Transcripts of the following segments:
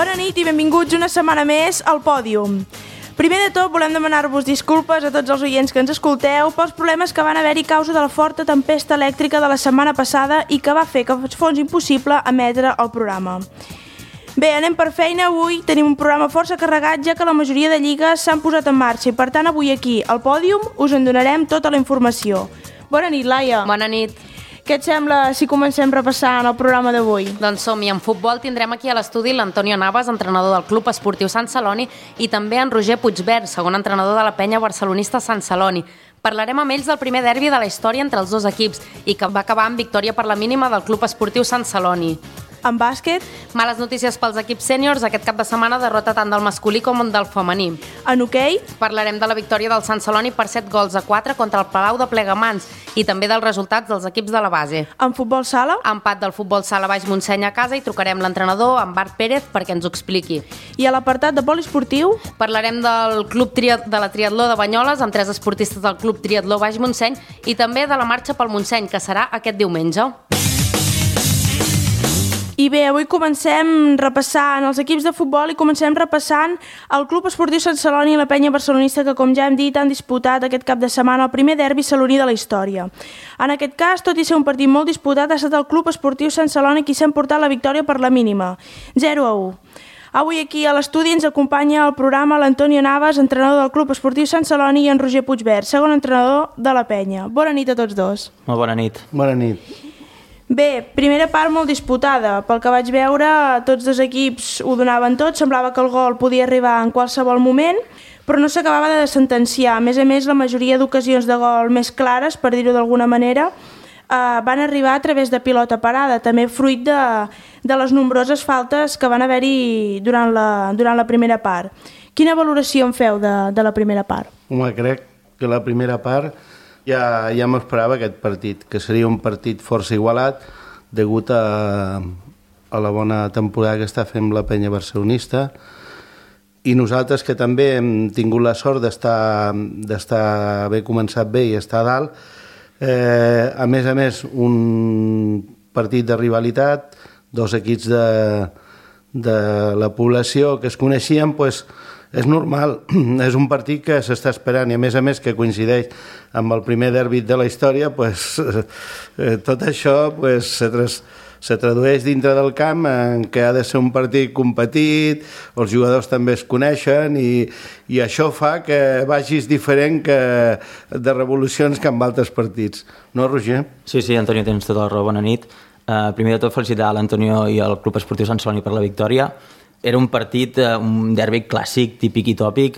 Bona nit i benvinguts una setmana més al Pòdium. Primer de tot volem demanar-vos disculpes a tots els oients que ens escolteu pels problemes que van haver-hi a causa de la forta tempesta elèctrica de la setmana passada i que va fer que fos impossible emetre el programa. Bé, anem per feina. Avui tenim un programa força carregat, ja que la majoria de lligues s'han posat en marxa i per tant avui aquí al Pòdium us en donarem tota la informació. Bona nit, Laia. Bona nit. Què et sembla si comencem repassant el programa d'avui? Doncs som-hi. En futbol tindrem aquí a l'estudi l'Antonio Navas, entrenador del Club Esportiu Sant Celoni, i també en Roger Puigvert, segon entrenador de la penya barcelonista Sant Celoni. Parlarem amb ells del primer derbi de la història entre els dos equips i que va acabar amb victòria per la mínima del Club Esportiu Sant Celoni. En bàsquet? Males notícies pels equips sèniors. Aquest cap de setmana derrota tant del masculí com del femení. En hoquei? Parlarem de la victòria del Sant Celoni per 7-4 contra el Palau de Plegamans i també dels resultats dels equips de la base. En futbol sala? Empat del futbol sala Baix Montseny a casa i trucarem l'entrenador, en Bart Pérez, perquè ens ho expliqui. I a l'apartat de poliesportiu? Parlarem del Club de la Triatló de Banyoles amb 3 esportistes del Club Triatló Baix Montseny i també de la marxa pel Montseny, que serà aquest diumenge. I bé, avui comencem repassant els equips de futbol i comencem repassant el Club Esportiu Sant Celoni i la penya barcelonista que, com ja hem dit, han disputat aquest cap de setmana el primer derbi saloní de la història. En aquest cas, tot i ser un partit molt disputat, ha estat el Club Esportiu Sant Celoni qui s'ha emportat la victòria per la mínima, 0-1. Avui aquí a l'estudi ens acompanya al programa l'Antonio Navas, entrenador del Club Esportiu Sant Celoni, i en Roger Puigvert, segon entrenador de la penya. Bona nit a tots dos. Molt bona nit. Bona nit. Bé, primera part molt disputada. Pel que vaig veure, tots dos equips ho donaven tot, semblava que el gol podia arribar en qualsevol moment, però no s'acabava de sentenciar. A més, la majoria d'ocasions de gol més clares, per dir-ho d'alguna manera, van arribar a través de pilota parada, també fruit de les nombroses faltes que van haver-hi durant la primera part. Quina valoració en feu de la primera part? Home, crec que la primera part ja m'esperava aquest partit, que seria un partit força igualat degut a la bona temporada que està fent la penya barcelonista, i nosaltres que també hem tingut la sort d'haver començat bé i estar a dalt. A més, un partit de rivalitat, dos equips de la població que es coneixien, doncs és normal, és un partit que s'està esperant i a més que coincideix amb el primer derbi de la història, tot això se tradueix dintre del camp en què ha de ser un partit competit, els jugadors també es coneixen i això fa que vagis diferent de revolucions que amb altres partits. No, Roger? Sí, Antonio, tens tota la raó, bona nit. Primer de tot, felicitar l'Antonio i el Club Esportiu Sant Celoni per la victòria. Era un partit, un derbi clàssic, típic i tòpic.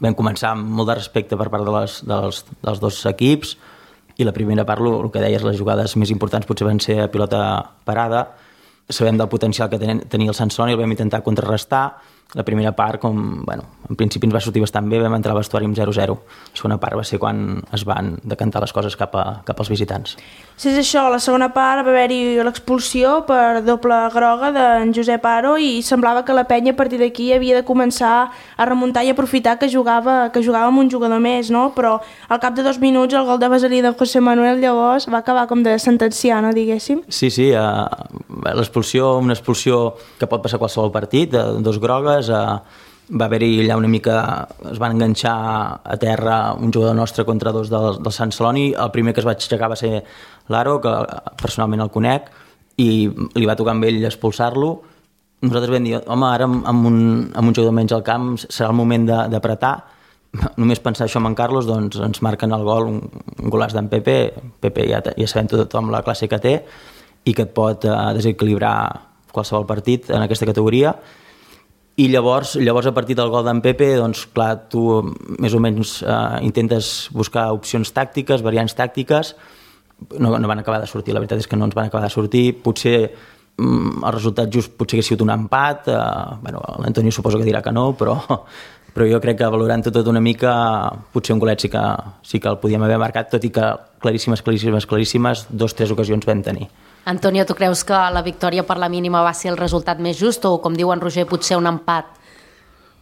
Vam començar amb molt de respecte per part dels dos equips i la primera part, el que deies, les jugades més importants potser van ser a pilota parada. Sabem del potencial que tenia el Sant Celoni, el vam intentar contrarrestar. La primera part, en principi ens va sortir bastant bé, vam entrar al vestuari amb 0-0. La segona part va ser quan es van decantar les coses cap als visitants. Si és això, a la segona part va haver-hi l'expulsió per doble groga d'en Josep Aro i semblava que la penya a partir d'aquí havia de començar a remuntar i aprofitar que jugava amb un jugador més, no? Però al cap de 2 minuts el gol de vaselí de José Manuel llavors va acabar com de sentenciar, no, diguéssim? Sí, l'expulsió, una expulsió que pot passar a qualsevol partit, de 2 grogues. Va haver-hi allà una mica, es van enganxar a terra un jugador nostre contra 2 del Sant Celoni. El primer que es va aixecar va ser l'Aro, que personalment el conec, i li va tocar amb ell expulsar-lo. Nosaltres vam dir, home, ara amb un jugador menys al camp serà el moment d'apretar. Només pensar això amb en Carlos, doncs ens marquen el gol, un golàs d'en Pepe. Pepe ja sabem tothom la classe que té i que et pot desequilibrar qualsevol partit en aquesta categoria. I llavors a partir del gol d'en Pepe, doncs clar, tu més o menys intentes buscar opcions tàctiques, variants tàctiques. No van acabar de sortir, la veritat és que no ens van acabar de sortir. Potser el resultat just potser hagués sigut un empat. L'Antonio suposo que dirà que no, però jo crec que valorant tot una mica, potser un golet sí que el podíem haver marcat, tot i que claríssimes, 2-3 ocasions vam tenir. Antonio, tu creus que la victòria per la mínima va ser el resultat més just o, com diu en Roger, potser un empat?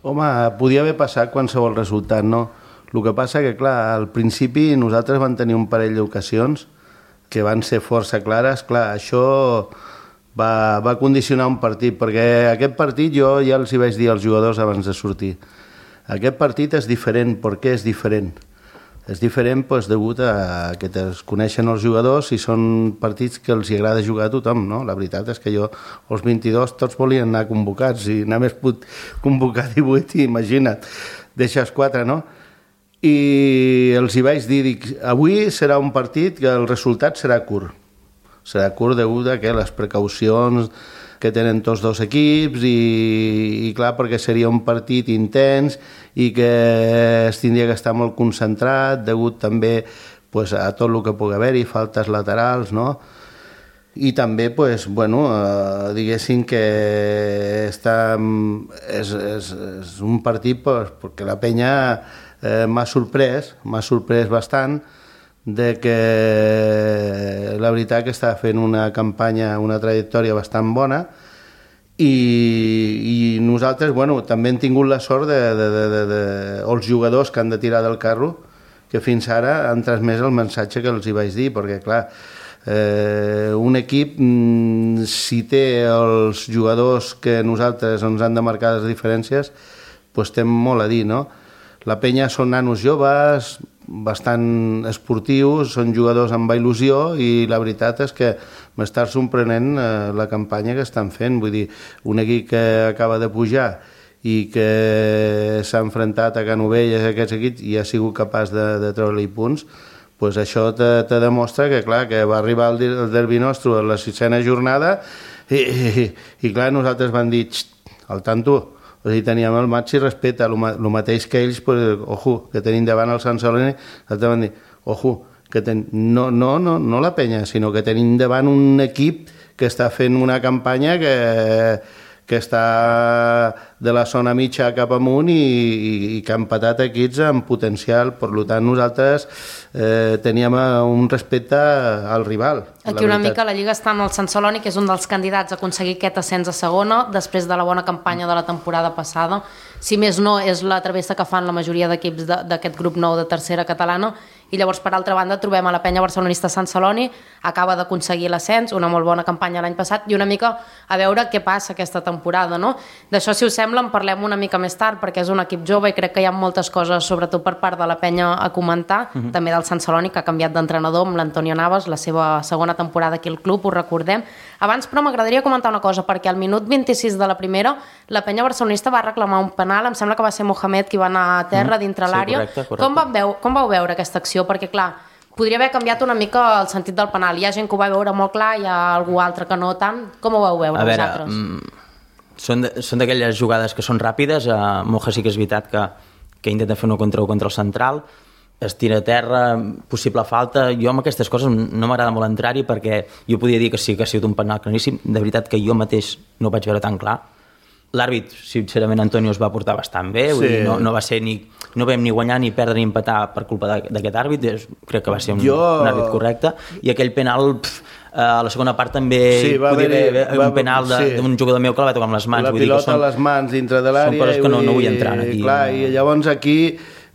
Home, podia haver passat qualsevol resultat, no? El que passa que, clar, al principi nosaltres vam tenir un parell d'ocasions que van ser força clares. Clar, això va condicionar un partit, perquè aquest partit jo ja els hi vaig dir als jugadors abans de sortir. Aquest partit és diferent. Per què és diferent? És diferent degut a que es coneixen els jugadors i són partits que els agrada jugar a tothom, no? La veritat és que jo, els 22, tots volien anar convocats i només puc convocar 18 i imagina't, deixes 4, no? I els hi vaig dir, avui serà un partit que el resultat serà curt. Serà curt degut a que les precaucions que tenen tots dos equips i clar, perquè seria un partit intens i que es tindria que estar molt concentrat degut també a tot el que pugui haver-hi, faltes laterals, no? I també, diguéssim que és un partit perquè la penya m'ha sorprès bastant de que la veritat que està fent una campanya, una trajectòria bastant bona i nosaltres també hem tingut la sort els jugadors que han de tirar del carro que fins ara han transmès el missatge que els hi vaig dir, perquè clar, un equip si té els jugadors que nosaltres ens han de marcar les diferències té molt a dir, no? La penya són nanos joves, bastant esportius, són jugadors amb il·lusió i la veritat és que m'està sorprenent la campanya que estan fent. Vull dir, un equip que acaba de pujar i que s'ha enfrontat a Canovelles, aquests equips, i ha sigut capaç de treure-li punts, això te demostra que, clar, que va arribar el derbi nostre a la 6a jornada i clar, nosaltres vam dir, al tanto, o sigui, teníem el màxim respecte, el mateix que ells, ojo, que tenim davant el Sant Celoni, nosaltres vam dir, ojo, que no la penya, sinó que tenim davant un equip que està fent una campanya que està de la zona mitja cap amunt i que ha empatat equips amb potencial. Per tant, nosaltres teníem un respecte al rival. Aquí una mica la Lliga està en el Sant Celoni, que és un dels candidats a aconseguir aquest ascens a segona, després de la bona campanya de la temporada passada. Si més no, és la travessa que fan la majoria d'equips d'aquest grup nou de tercera catalana. I llavors, per altra banda, trobem a la penya barcelonista Sant Celoni, acaba d'aconseguir l'ascens, una molt bona campanya l'any passat, i una mica a veure què passa aquesta temporada, no? D'això, si us sembla, en parlem una mica més tard, perquè és un equip jove i crec que hi ha moltes coses, sobretot per part de la penya, a comentar, també del Sant Celoni, que ha canviat d'entrenador amb l'Antonio Navas, la seva segona temporada aquí al club, ho recordem. Abans, però, m'agradaria comentar una cosa, perquè al minut 26 de la primera, la penya barcelonista va reclamar un penal, em sembla que va ser Mohamed qui va anar a terra dintre l'àrea. Correcte. Com vau veure aquesta acció? Perquè, clar, podria haver canviat una mica el sentit del penal. Hi ha gent que ho va veure molt clar, hi ha algú altre que no tant. Com ho vau veure vosaltres? Són d'aquelles jugades que són ràpides. Moja sí que és veritat que intenta fer una contra el central, es tira a terra, possible falta. Jo amb aquestes coses no m'agrada molt entrar-hi perquè jo podia dir que sí que ha sigut un penal claríssim. De veritat que jo mateix no ho vaig veure tan clar. L'àrbit, sincerament, Antonio es va portar bastant bé, vull dir, no va ser no vam ni guanyar ni perdre ni empatar per culpa d'aquest àrbit, crec que va ser un àrbit correcte, i aquell penal a la segona part també podia haver un penal d'un jugador meu que la va tocar amb les mans. La pilota a les mans dintre de l'àrea. Són coses que no vull entrar aquí. Clar, i llavors aquí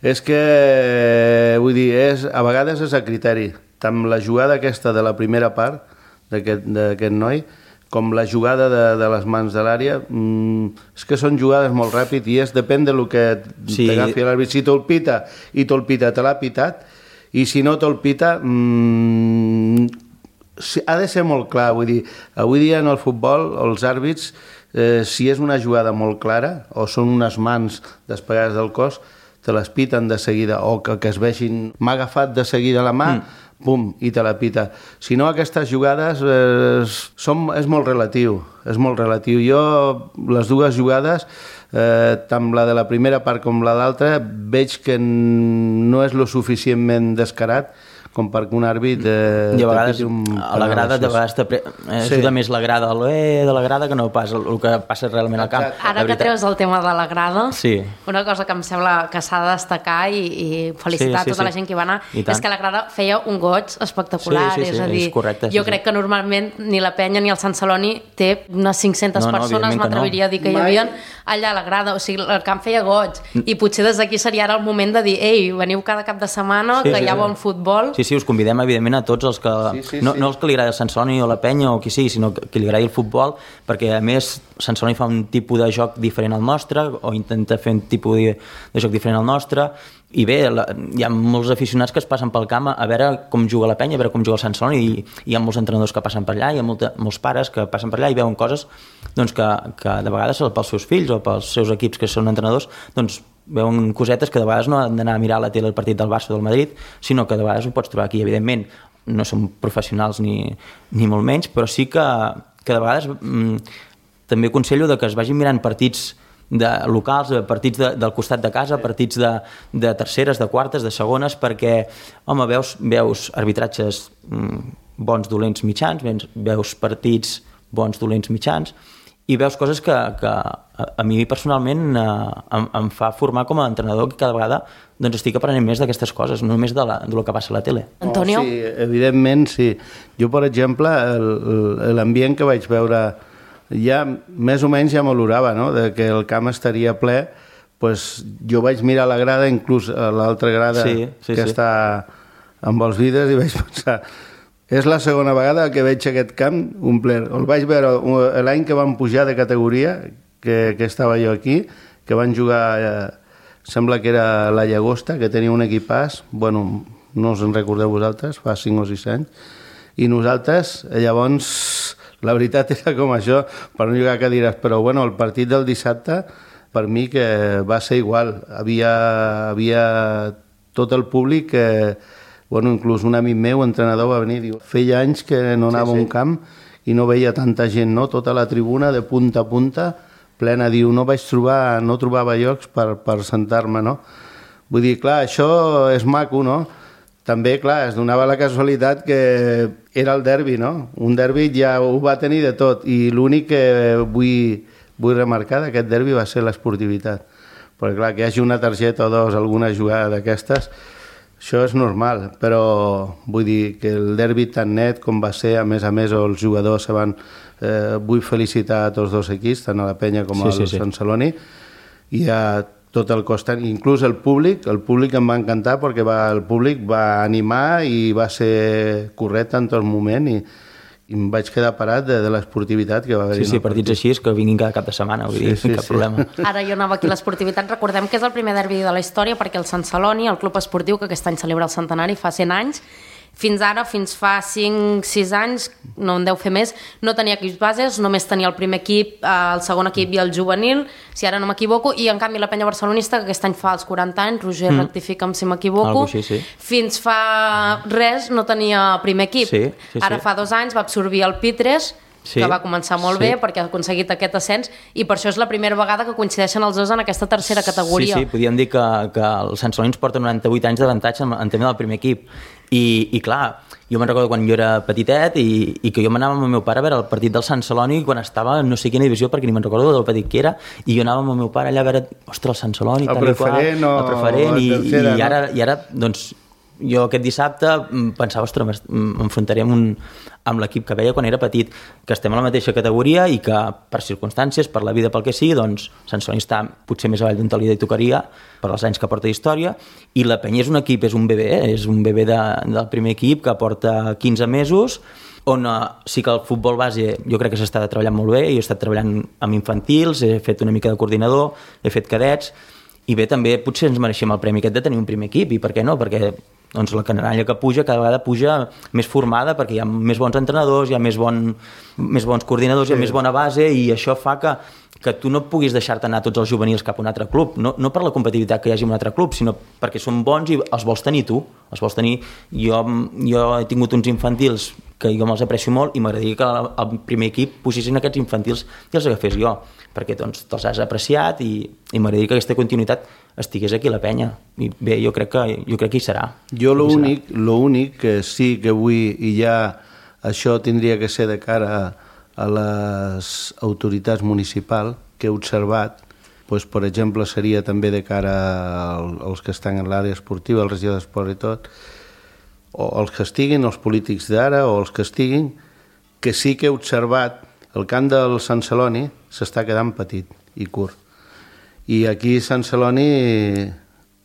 és que, vull dir, a vegades és a criteri. Tant la jugada aquesta de la primera part d'aquest noi, com la jugada de les mans de l'àrea, és que són jugades molt ràpid i depèn del que t'agafi l'àrbit. Si te'l pita i te'l pita, te l'ha pitat, i si no te'l pita, ha de ser molt clar. Vull dir, avui dia en el futbol, els àrbits, si és una jugada molt clara o són unes mans despegades del cos, te les piten de seguida, o que es vegin, m'ha agafat de seguida la mà, pum, i te la pita. Si no, aquestes jugades és molt relatiu, és molt relatiu. Jo, les dues jugades, tant la de la primera part com la d'altra, veig que no és lo suficientment descarat com perquè un àrbit i a vegades a la grada ajuda més la grada de la grada que no pas el que passa realment al camp. Ara que treus el tema de la grada, sí, una cosa que em sembla que s'ha de destacar i felicitar tota la gent que hi va anar és que la grada feia un goig espectacular, és a dir, jo crec que normalment ni la penya ni el Sant Celoni té unes 500 persones, m'atreviria a dir que hi havia allà a la grada, o sigui, el camp feia goig i potser des d'aquí seria ara el moment de dir, ei, veniu cada cap de setmana que hi ha bon futbol. Sí, sí, us convidem evidentment a tots els que... No els que li agrada el Sant Celoni o la Penya o qui sigui, sinó que li agradi el futbol, perquè a més Sant Celoni fa un tipus de joc diferent al nostre, o intenta fer un tipus de joc diferent al nostre, i bé, hi ha molts aficionats que es passen pel camp a veure com juga la Penya, a veure com juga el Sant Celoni, i hi ha molts entrenadors que passen per allà, hi ha molts pares que passen per allà i veuen coses doncs, que de vegades pels seus fills o pels seus equips que són entrenadors, doncs veuen cosetes que de vegades no han d'anar a mirar a la tele el partit del Barça o del Madrid, sinó que de vegades ho pots trobar aquí. Evidentment, no som professionals ni molt menys, però sí que de vegades també aconsello que es vagin mirant partits locals, partits del costat de casa, partits de terceres, de quartes, de segones, perquè, home, veus arbitratges bons, dolents, mitjans, veus partits bons, dolents, mitjans, i veus coses que a mi personalment em fa formar com a entrenador, que cada vegada doncs, estic aprenent més d'aquestes coses, no només de lo que passa a la tele. Antonio? Sí, evidentment, sí. Jo, per exemple, l'ambient que vaig veure ja més o menys ja m'olorava, no?, de que el camp estaria ple, pues, jo vaig mirar la grada, inclús a l'altra grada està amb els vidres, i vaig pensar, és la segona vegada que veig aquest camp omplert. El vaig veure l'any que van pujar de categoria, que estava jo aquí, que van jugar, sembla que era la Llagosta, que tenia un equipàs, bueno, no us en recordeu vosaltres, fa 5 o 6 anys, i nosaltres, llavors, la veritat era com això, per no jugar a cadires, però bueno, el partit del dissabte per mi que va ser igual, havia tot el públic bueno, inclús un amic meu, entrenador, va venir i diu, feia anys que no anava a un camp i no veia tanta gent, no? Tota la tribuna de punta a punta plena, diu, no trobava llocs per sentar-me, no? Vull dir, clar, això és maco, no? També, clar, es donava la casualitat que era el derbi, no? Un derbi ja ho va tenir de tot, i l'únic que vull remarcar d'aquest derbi va ser l'esportivitat. Perquè, clar, que hi hagi una targeta o dos, alguna jugada d'aquestes, això és normal, però vull dir que el derbi tan net com va ser, a més els jugadors se van... vull felicitar a tots dos equips, tant a la Penya com al Sant Celoni, i a tot el costat, inclús el públic em va encantar perquè el públic va animar i va ser correcte en tot moment i em vaig quedar parat de l'esportivitat que va haver-hi. Sí, partits així és que vinguin cada cap de setmana, vull dir, cap problema. Ara jo anava aquí a l'esportivitat, recordem que és el primer derbi de la història perquè el Sant Celoni, el club esportiu que aquest any celebra el centenari, fa 100 anys, fins ara, fins fa 5-6 anys, no en deu fer més, no tenia equips bases, només tenia el primer equip, el segon equip i el juvenil, si ara no m'equivoco, i en canvi la Penya Barcelonista, que aquest any fa els 40 anys, Roger, rectifica'm si m'equivoco, fins fa res no tenia primer equip. Ara fa 2 anys va absorbir el Pitres, que va començar molt bé perquè ha aconseguit aquest ascens, i per això és la primera vegada que coincideixen els dos en aquesta tercera categoria. Sí, podríem dir que els Sant Celoni ens porten 98 anys d'avantatge en tema del primer equip. I clar, jo me'n recordo quan jo era petitet i que jo m'anava amb el meu pare a veure el partit del Sant Celoni quan estava en no sé quina divisió, perquè ni me'n recordo del petit que era, i jo anava amb el meu pare allà a veure, ostres, el Sant Celoni, el preferent, i ara, doncs, jo aquest dissabte pensava, ostres, m'enfrontaré amb l'equip que veia quan era petit, que estem a la mateixa categoria i que per circumstàncies, per la vida, pel que sigui, doncs Sant Celoni està potser més avall d'on te li tocaria per als anys que porta d'història, i la Penya és un equip, és un bebè del primer equip que porta 15 mesos, on sí que el futbol base jo crec que s'està treballant molt bé. Jo he estat treballant amb infantils, he fet una mica de coordinador, he fet cadets, i bé, també potser ens mereixem el premi aquest de tenir un primer equip, i per què no? Perquè doncs la canalla que puja cada vegada puja més formada, perquè hi ha més bons entrenadors, hi ha més bons coordinadors, hi ha més bona base, i això fa que tu no puguis deixar-te anar tots els juvenils cap a un altre club, no per la competitivitat que hi hagi en un altre club, sinó perquè són bons i els vols tenir tu, els vols tenir. Jo he tingut uns infantils que jo me'ls aprecio molt i m'agradaria que el primer equip posessin aquests infantils i els agafés jo, perquè doncs te'ls has apreciat i m'agradaria que aquesta continuïtat estigués aquí a la Penya. I bé, jo crec que hi serà. Jo l'únic que sí que vull, i ja això tindria que ser de cara a les autoritats municipals que he observat, doncs, per exemple, seria també de cara als que estan en l'àrea esportiva, el regidor d'esport i tot, o els que estiguin, els polítics d'ara, o els que estiguin, que sí que he observat el camp del Sant Celoni s'està quedant petit i curt. I aquí a Sant Celoni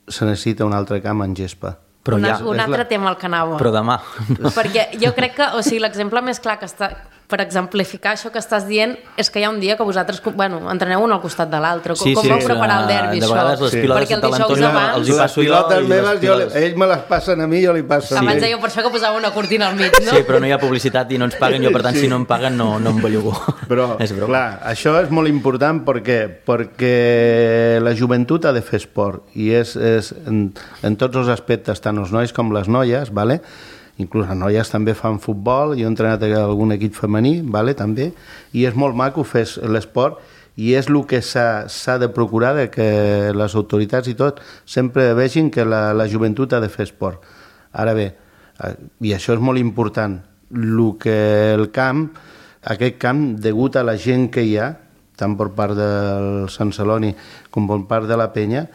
se necessita un altre camp en gespa, Un altre tema al que anava. Però demà. Perquè jo crec que, o sigui, l'exemple més clar que està, per exemplificar això que estàs dient, és que hi ha un dia que vosaltres, entreneu un al costat de l'altre. Com vau preparar el derbi, això? De vegades les pilotes de l'Antonio els hi passo jo. Les meves, ells me les passen a mi, jo li passo a ell. Abans deia per això que posava una cortina al mig, no? Sí, però no hi ha publicitat i no ens paguen, jo per tant si no em paguen no em bellugo. Però, clar, això és molt important perquè la joventut ha de fer esport i és en tots els aspectes, tant els nois com les noies, vale? Inclús les noies també fan futbol, jo he entrenat algun equip femení, vale, també, i és molt maco fer l'esport i és el que s'ha de procurar que les autoritats i tot sempre vegin que la joventut ha de fer esport. Ara bé, i això és molt important, aquest camp, degut a la gent que hi ha, tant per part del Sant Celoni com per part de la penya,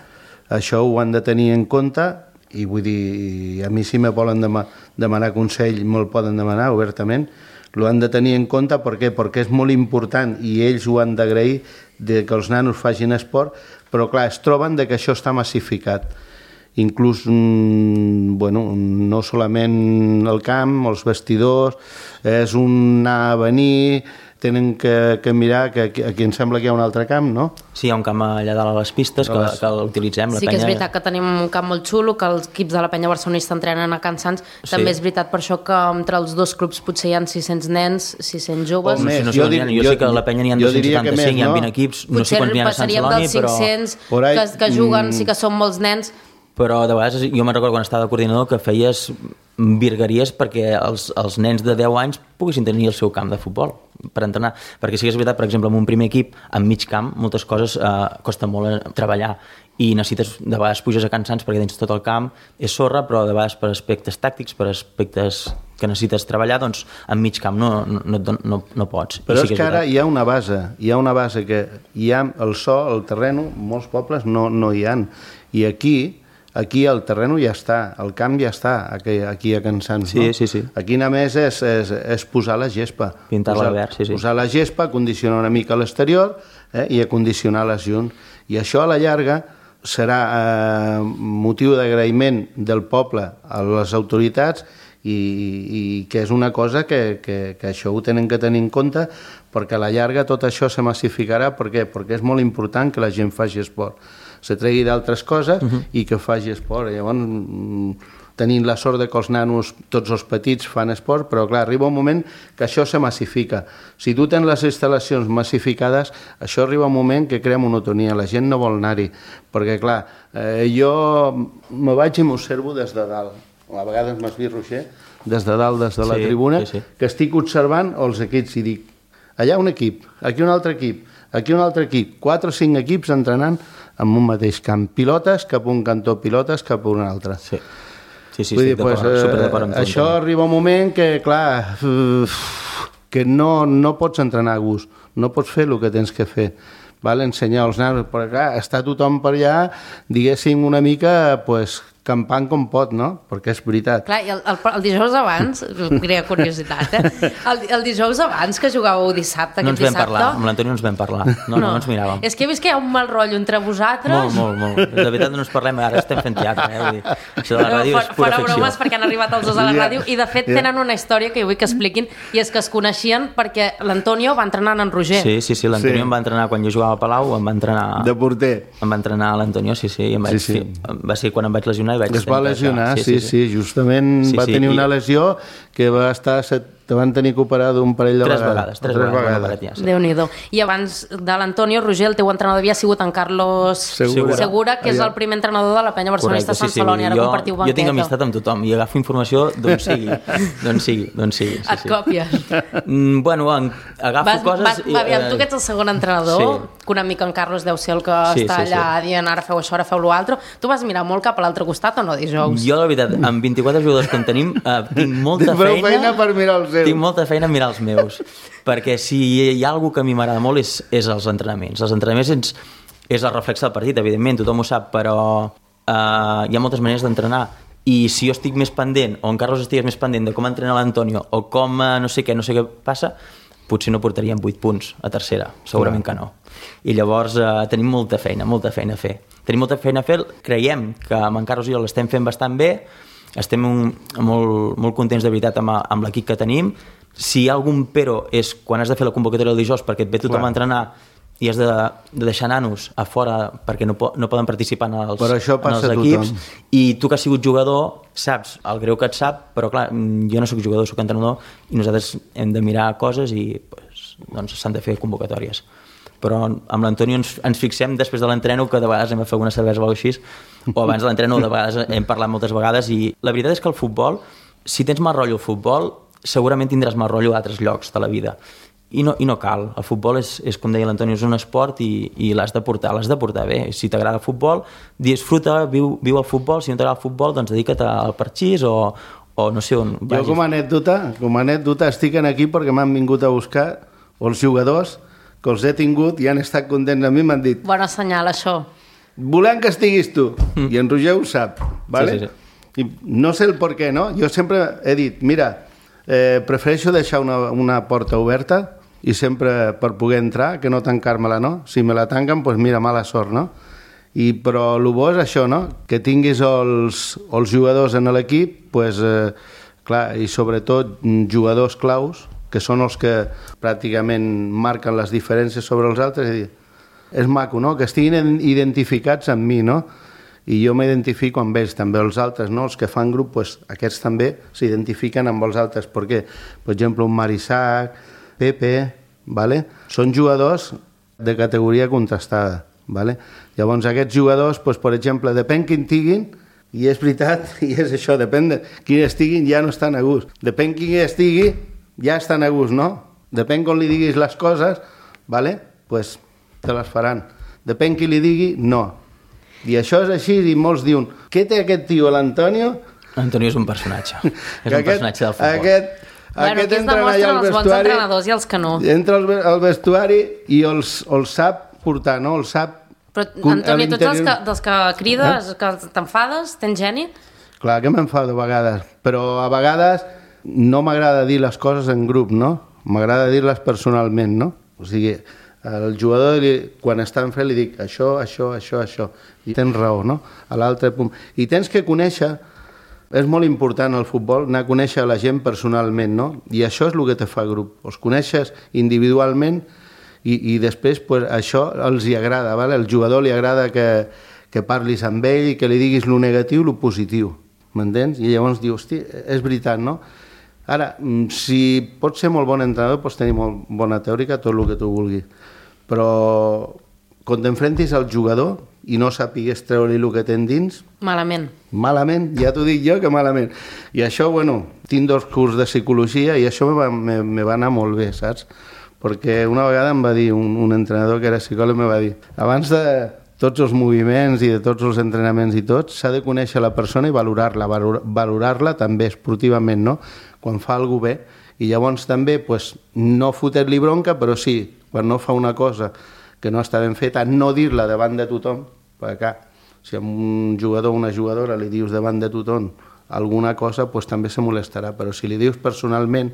això ho han de tenir en compte. I vull dir, a mi si me volen demanar consell, me'l poden demanar obertament, ho han de tenir en compte perquè és molt important i ells ho han d'agrair que els nanos facin esport, però clar, es troben que això està massificat. Inclús, no solament el camp, els vestidors, és un anar a venir, tenen que mirar que aquí em sembla que hi ha un altre camp, no? Sí, hi ha un camp allà dalt a les pistes que l'utilitzem. Sí que és veritat que tenim un camp molt xulo, que els equips de la penya barcelonista entrenen a Can Sants. També és veritat per això que entre els dos clubs potser hi ha 600 nens, 600 joves. Jo sé que a la penya n'hi ha 275, hi ha 20 equips, no sé quants n'hi ha a Sant Celoni, però... Potser dels 500 que juguen sí que són molts nens. Però de vegades jo me'n recordo quan estava de coordinador que feies virgueries perquè els nens de 10 anys poguessin tenir el seu camp de futbol per entrenar, perquè sí que és veritat, per exemple, en un primer equip, en mig camp, moltes coses costa molt treballar i necessites, de vegades puges a Can Sants perquè tens tot el camp, és sorra, però de vegades per aspectes tàctics, per aspectes que necessites treballar, doncs en mig camp no pots. Però és que ara hi ha una base que hi ha el el terreno, molts pobles no hi ha, i aquí el terreno ja està, el camp ja està, aquí a Can Sants, no? Sí. Aquí només és posar la gespa. Pintar-la verd, sí. Posar la gespa, condicionar una mica l'exterior i acondicionar les junts. I això a la llarga serà motiu d'agraïment del poble a les autoritats i que és una cosa que això ho tenen que tenir en compte perquè a la llarga tot això se massificarà. Per què? Perquè és molt important que la gent faci esport. Se tregui d'altres coses i que faci esport. Llavors, tenint la sort que els nanos, tots els petits, fan esport, però clar, arriba un moment que això se massifica. Si tu tens les instal·lacions massificades, això arriba un moment que crea monotonia, la gent no vol anar-hi, perquè clar, jo me vaig i m'observo des de dalt, a vegades m'esbirro des de dalt, des de la tribuna, que estic observant els equips i dic, allà un equip, aquí un altre equip, aquí un altre equip, 4 o 5 equips entrenant en un mateix camp, pilotes cap a un cantó, pilotes cap a un altre. Sí, estic superdd'acord amb tu. Això arriba un moment que, clar, que no pots entrenar a gust, no pots fer el que tens que fer. Ensenyar als nanos, perquè clar, està tothom per allà, diguéssim una mica, campant com pot, no? Perquè és veritat. Clar, i el dijous abans, crea curiositat, el dijous abans que jugàveu dissabte, no ens vam parlar, amb l'Antoni no ens vam parlar, no ens miràvem. És que he vist que hi ha un mal rotllo entre vosaltres. Molt. De veritat no ens parlem, ara estem fent teatre, vull dir, això de la ràdio és pura ficció. Fora bromes, perquè han arribat els dos a la ràdio i de fet tenen una història que jo vull que expliquin, i és que es coneixien perquè l'Antonio va entrenar en Roger. Sí, l'Antonio em va entrenar quan jo jugava a Palau, em va entrenar... De porter. Em va entrenar l'Antonio, sí, va ser quan em vaig lesionar. Es va lesionar, sí, justament va tenir una lesió que va estar te van tenir que operar d'un parell de vegades. Tres vegades. Déu-n'hi-do. I abans de l'Antonio, Roger, el teu entrenador havia sigut en Carlos Segura, que és el primer entrenador de la penya barcelonista Sant Celoni. Ara compartiu banqueta. Jo tinc amistat amb tothom i agafo informació d'on sigui. Et còpies. Bueno, agafo coses... Aviam, tu que ets el segon entrenador, que una mica en Carlos deu ser el que està allà dient ara feu això, ara feu l'altre. Tu vas mirar molt cap a l'altre costat o no, dijous? Jo, la veritat, amb 24 jugadors que en tenim, tinc molta feina per mirar els tinc molta feina a mirar els meus, perquè si hi ha alguna que a mi m'agrada molt és els entrenaments. Els entrenaments és el reflex del partit, evidentment, tothom ho sap, però hi ha moltes maneres d'entrenar i si jo estic més pendent, o en Carlos estigués més pendent de com entrena l'Antonio o com no sé què passa, potser no portaríem 8 punts a tercera, segurament que no. I llavors tenim molta feina a fer. Tenim molta feina a fer, creiem que amb en Carlos i jo l'estem fent bastant bé, estem molt contents de veritat amb l'equip que tenim. Si hi ha algun però és quan has de fer la convocatòria del dijous perquè et ve tothom a entrenar i has de deixar nanos a fora perquè no poden participar en els equips, i tu que has sigut jugador saps el greu que et sap, però clar, jo no soc jugador, soc entrenador, i nosaltres hem de mirar coses i doncs s'han de fer convocatòries. Però amb l'Antonio ens fixem després de l'entreno, que de vegades hem de fer alguna cervesa o així, o abans de l'entreno de vegades hem parlat moltes vegades, i la veritat és que el futbol, si tens mal rotllo al futbol, segurament tindràs mal rotllo a altres llocs de la vida. I no cal. El futbol és com deia l'Antonio, és un esport i l'has de portar bé. Si t'agrada el futbol, disfruta, viu el futbol. Si no t'agrada el futbol, doncs dedica't al parxís o no sé on vagis. Jo com a anècdota estic aquí perquè m'han vingut a buscar els jugadors que els he tingut i han estat contents amb mi, m'han dit... Bona senyal, això. Volem que estiguis tu. I en Roger ho sap, ¿vale? Sí. I no sé el per què, no? Jo sempre he dit, mira, prefereixo deixar una porta oberta i sempre per poder entrar, que no tancar-me-la, no? Si me la tanquen, doncs mira, mala sort, no? Però el bo és això, no? Que tinguis els jugadors en l'equip, doncs, clar, i sobretot jugadors claus, que són els que pràcticament marquen les diferències sobre els altres. És maco, no? Que estiguin identificats amb mi, no? I jo m'identifico amb ells, també els altres, no? Els que fan grup, doncs, aquests també s'identifiquen amb els altres. Per què? Per exemple, un Marisac, Pepe, ¿vale? Són jugadors de categoria contrastada, ¿vale? Llavors aquests jugadors, doncs, per exemple, depèn quin tinguin, i és veritat, i és això, depèn de quin estiguin, ja no estan a gust. Depèn quin estigui, ja estan a gust, no? Depèn com li diguis les coses, ¿vale? Pues te les faran. Depèn qui li digui, no. I això és així, i molts diuen, què té aquest tio, l'Antonio? L'Antonio és un personatge. És un personatge del futbol. Aquí es demostren els bons entrenadors i els que no. Entra al vestuari i els sap portar, no? Els sap... Però, Antoni, tots dels que crides, que t'enfades, tens geni? Clar que m'enfado a vegades, però a vegades no m'agrada dir les coses en grup, no? M'agrada dir-les personalment, no? O sigui, al jugador, quan està en fred, li dic això. I tens raó, no? A l'altre punt. I tens que conèixer, és molt important al futbol, anar a conèixer la gent personalment, no? I això és el que te fa grup. Els coneixes individualment i després pues, això els hi agrada, ¿vale? Al jugador li agrada que parlis amb ell i que li diguis lo negatiu i lo positiu, m'entens? I llavors diu, hosti, és veritat, no? Ara, si pots ser molt bon entrenador, pots tenir molt bona teòrica, tot el que tu vulguis. Però quan t'enfrentis al jugador i no sàpigues treure-li el que tens dins... Malament. Malament, ja t'ho dic jo que malament. I això, bueno, tinc 2 cursos de psicologia i això me va anar molt bé, saps? Perquè una vegada em va dir un entrenador que era psicòleg, me va dir, abans de tots els moviments i de tots els entrenaments i tot, s'ha de conèixer la persona i valorar-la també esportivament, no? Quan fa alguna bé. I llavors també, pues, no fotre-li bronca, però sí, quan no fa una cosa que no està ben feta, no dir-la davant de tothom, perquè si a un jugador o una jugadora li dius davant de tothom alguna cosa, pues, també se molestarà, però si li dius personalment